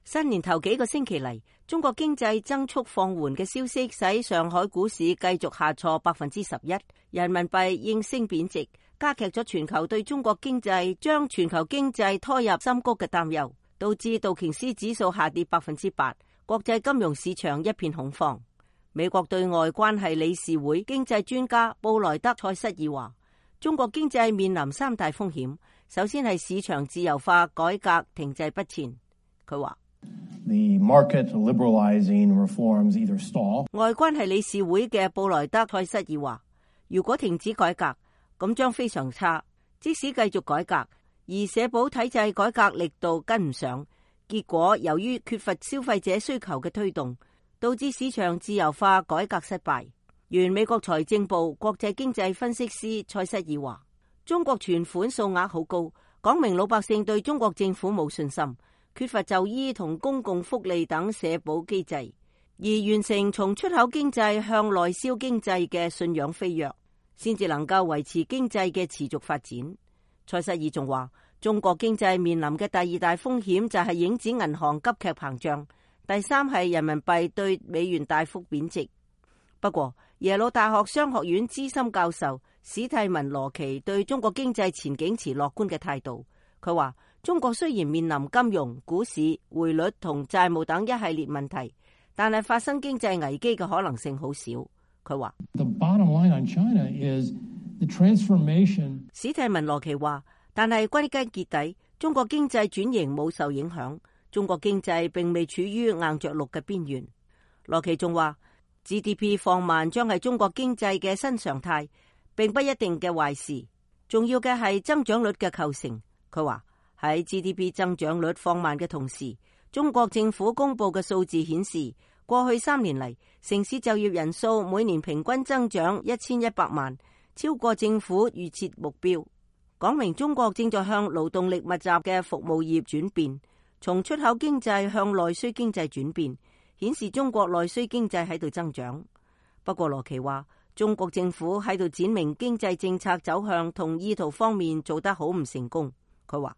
新年頭幾個星期嚟，中國經濟增速放緩嘅消息使上海股市繼續下挫11%，人民幣應聲貶值，加劇咗全球對中國經濟將全球經濟拖入深谷嘅擔憂，導致道瓊斯指數下跌8%，國際金融市場一片恐慌。美國對外關係理事會經濟專家布萊德塞瑟爾話，中國經濟面臨三大風險，首先係市場自由化改革停滯不前。佢話The market liberalizing reforms either stall. 外關係理事會嘅布萊德塞瑟爾話，如果停止改革，咁將非常差。即使繼續改革，而社保體制改革力度跟唔上，結果由於缺乏消費者需求嘅推動，導致市場自由化改革失敗。原美國財政部國際經濟分析師塞瑟爾話，中國存款數額好高，講明老百姓對中國政府冇信心，缺乏就醫同公共福利等社保機制，而完成從出口經濟向內銷經濟嘅信仰飛躍，先至能夠維持經濟嘅持續發展。塞瑟爾仲話，中國經濟面臨嘅第二大風險就係影子銀行急劇膨脹，第三係人民幣對美元大幅貶值。不過，耶魯大學商學院資深教授史蒂文羅奇對中國經濟前景持樂觀嘅態度。佢話，中國雖然面臨金融、股市、匯率同債務等一系列問題，但係發生經濟危機嘅可能性好少。佢話，史蒂文羅奇話，但係歸根結底，中國經濟轉型冇受影響，中國經濟並未處於硬着陸嘅邊緣。羅奇仲話，GDP 放慢將係中國經濟嘅新常態，並不一定嘅壞事。重要嘅係增長率嘅構成。佢話，喺 GDP 增長率放慢嘅同時，中國政府公布嘅數字顯示，過去3年嚟，城市就業人數每年平均增長1100萬，超過政府預設目標，講明中國正在向勞動力密集嘅服務業轉變，從出口經濟向內需經濟轉變，顯示中國內需經濟喺度增長。不過羅奇話，中國政府喺度展明經濟政策走向同意圖方面做得好唔成功。佢話，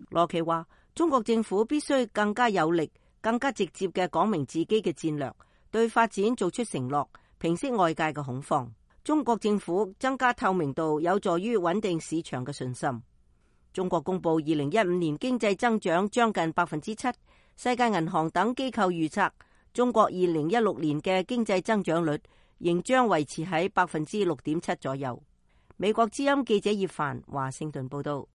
羅奇話，中國政府必須更加有力、更加直接嘅講明自己嘅戰略，對發展做出承諾，平息外界嘅恐慌。中國政府增加透明度，有助於穩定市場嘅信心。中國公布2015年經濟增長將近7%，世界銀行等機構預測中國2016年嘅經濟增長率仍將維持喺6.7%左右。美國之音記者葉凡華盛頓報道。